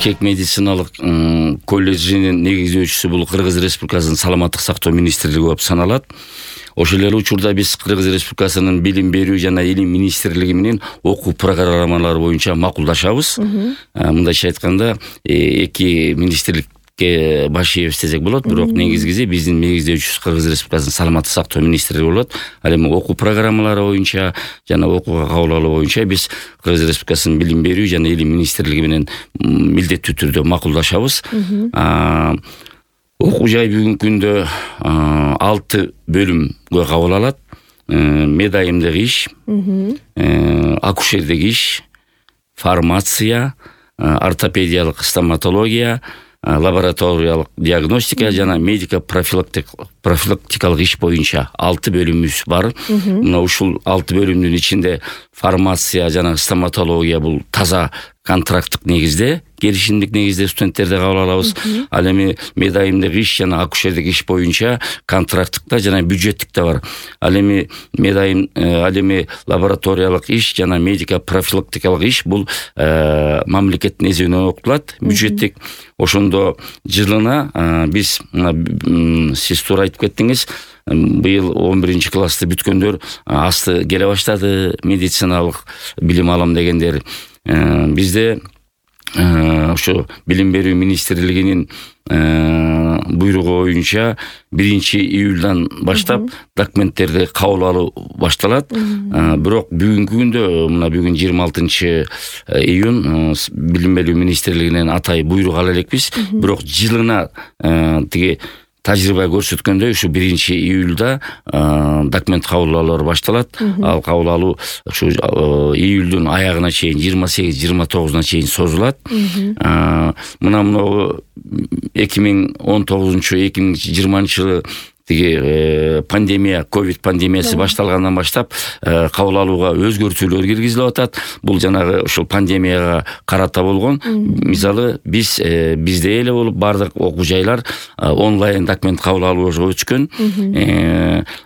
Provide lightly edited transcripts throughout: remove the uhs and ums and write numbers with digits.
Бишкек медициналык колледжинин негиздөөчүсү бул Кыргыз Республикасынын саламаттык сактоо министрлиги болуп саналат. Ошол эле учурда биз Кыргыз Республикасынын билим берүү жана илим министрлиги менен окуу программалары боюнча макулдашабыз. Мындайча айтканда эки министрликке баш ийебиз десек болот, бирок негизгиси биздин негиздөөчүбүз Кыргыз Республикасынын саламаттык сактоо министрлиги болот. Ал эми окуу программалары боюнча жана окууга кабыл алуу боюнча биз Кыргыз Республикасынын билим берүү жана илим министрлиги менен милдеттүү түрдө макулдашабыз. Окуу жай бүгүнкү күндө 6 бөлүмгө кабыл алат. Медайымдык иш, акушердик иш, фармация, ортопедиялык стоматология, лабораториялык диагностика жана медико профилактикалык иш боюнча 6 бөлүмүбүз бар. Мына ушул 6 бөлүмдүн ичинде фармация жана стоматология бул таза контракттык негизде, келишимдик негизде студенттерди кабыл алабыз. Ал эми медайымдык иш жана акушердик иш боюнча контракттыкта жана бюджеттикте бар. Ал эми лабораториялык иш жана медико профилактикалык иш бул мамлекеттин эсебинен окутулат, бюджеттик. Ошондо жылына биз сиз туура айтып кеттиңиз, быйыл 11 классты бүткөндөр асты келе баштады, медициналык билим алам дегендер. Бизде ошо билим берүү министрлигинин буйругу боюнча 1-июлдан баштап документтерди кабыл алуу башталат. Бирок бүгүнкү күндө, мына бүгүн 26-июнь, билим берүү министрлигинен атай буйрук ала элекпиз. Бирок жылына тиги тажрыйба көрсөткөндөй ушу 1-июлда документ кабыл алуулар башталат. Ал кабыл алуу ушу июлдун аягына чейин 28-29-на чейин созулат. Мына 2019-2020 жылы тиги пандемия, ковид пандемиясы башталгандан баштап кабыл алууга өзгөртүүлөр киргизилип атат. Бул жанагы ушул пандемияга карата болгон. Мисалы бизде эле болуп бардык окуу жайлар онлайн документ кабыл алууга өчкөн.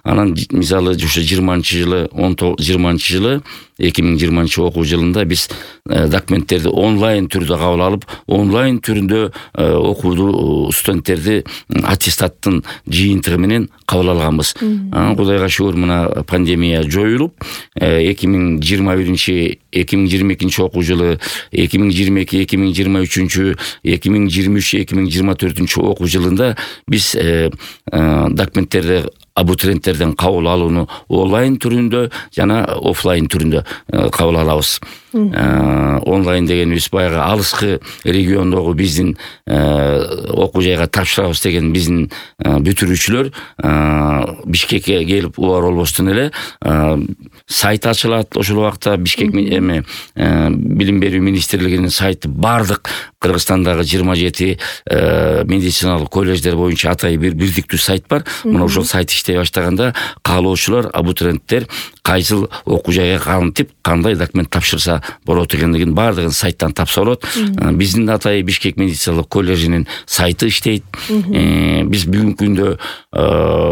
Анан мисалы ушу 2020 окуу жылында биз документтерди онлайн түрдө кабыл алып, онлайн түрүндө окууда студенттерди аттестаттын жыйынтыгы менен кабыл алганбыз. Кудайга шүгүр, мына пандемия жоюлуп, 2021-2022 окуу жылы, 2022-2023, 2023-2024 окуу жылында биз документтерди абитуриенттерден кабыл алууну онлайн түрүндө жана офлайн түрүндө кабыл алабыз. Онлайн дегенибиз баягы алыскы региондогу биздин окуу жайга тапшырабыз деген биздин бүтүрүүчүлөр Бишкекке келип убар болбостон эле сайт ачылат. Ошол убакта Бишкек билим берүү министрлигинин сайты бардык Кыргызстандагы 27 медициналык колледждер боюнча атай бирдиктүү сайт бар. Мына ошол сайт иштей баштаганда каалоочулар, абитуриенттер кайсыл окуу жайга кантип, кандай документ тапшырса болот экендигин бардыгын сайттан тапса болот. Биздин атай Бишкек медициналык колледжинин сайты иштейт. Биз бүгүнкү күндө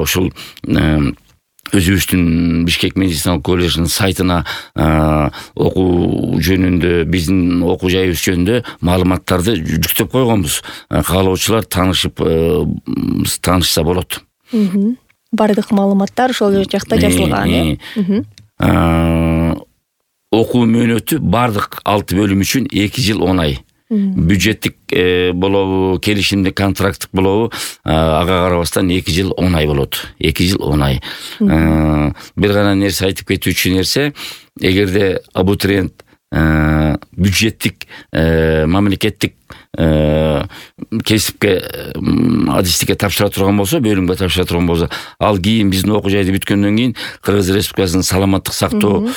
ушул өзүбүздүн Бишкек медициналык колледжинин сайтына окуу жөнүндө, биздин окуу жайыбыз жөнүндө маалыматтарды жүктөп койгонбуз. Каалоочулар таанышса болот. Бардык маалыматтар ошол жакта жазылган. Окуу мөөнөтү бардык 6 бөлүм үчүн 2 жыл 10 ай. Бюджеттик болобу, келишимдик контракттык болобу, ага карабастан 2 жыл 10 ай болот. 2 жыл 10 ай. Бир гана нерсе айтып кетүүчү нерсе, эгерде абитуриент бюджеттик мамлекеттик кесипке адистикке тапшыра турган болсо, бөлүмгө тапшыра турган болсо, ал кийин биздин окуу жайды бүткөндөн кийин Кыргыз Республикасынын саламаттык сактоо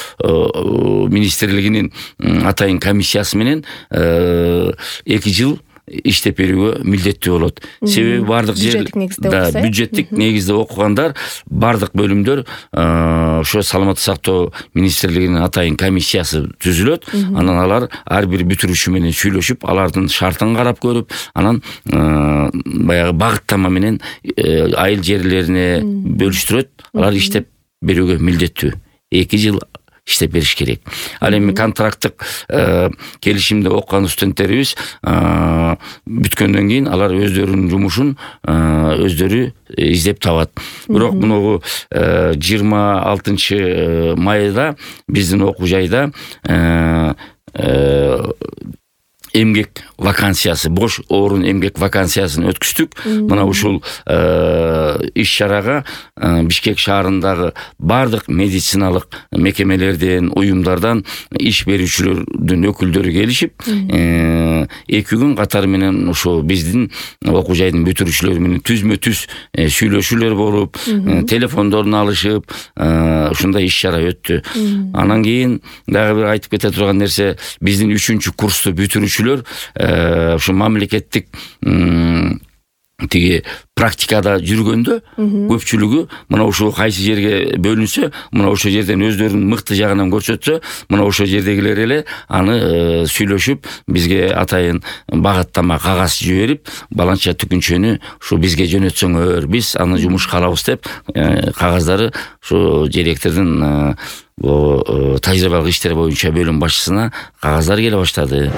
министрлигинин атайын комиссиясы менен 2 жыл иштеп берүүгө милдеттүү болот. Себеби бардык жер бюджеттик негизде окугандар, бардык бөлүмдөр ошо саламаттык сактоо министрлигинин атайын комиссиясы түзүлөт. Анан алар ар бир бүтүрүүчү менен сүйлөшүп, алардын шартын карап көрүп, анан баягы багыттама менен айыл жерлерине бөлүштүрөт. Алар иштеп берүүгө милдеттүү. 2 жыл иштеп бериш керек. Ал эми контракттык келишимде окуган студенттерибиз бүткөндөн кийин алар өздөрүнүн жумушун өздөрү издеп табат. Бирок мунугу 26 майда биздин окуу жайда эмгек вакансиясы, бош орун эмгек вакансиясын өткүздүк. Мына ушул иш чарага Бишкек шаарындагы бардык медициналык мекемелерден, уюмдардан иш берүүчүлөрдүн өкүлдөрү келишип, 2 күн катары менен ушул биздин окуу жайдын бүтүрүүчүлөрү менен түзмө-түз сүйлөшүүлөр болуп, телефондорун алышып, ушундай иш чара өттү. Анан кийин дагы бир айтып кете турган нерсе, биздин 3-курсту бүтүрүүчүлөр ушу мамлекеттик тиги практикада жүргөндө көпчүлүгү мына ушул кайсы жерге бөлүнсө, мына ошол жерден өздөрүнүн мыкты жагынан көрсөтсө, мына ошол жердегилер эле аны сүйлөшүп бизге атайын багыттама кагаз жиберип, баланча түкүнчөнү ушу бизге жөнөтсөңөр, биз аны жумуш кылабыз деп кагаздары ушу директордун тажрыйбалык иштер боюнча бөлүм башчысына кагаздар келе баштады.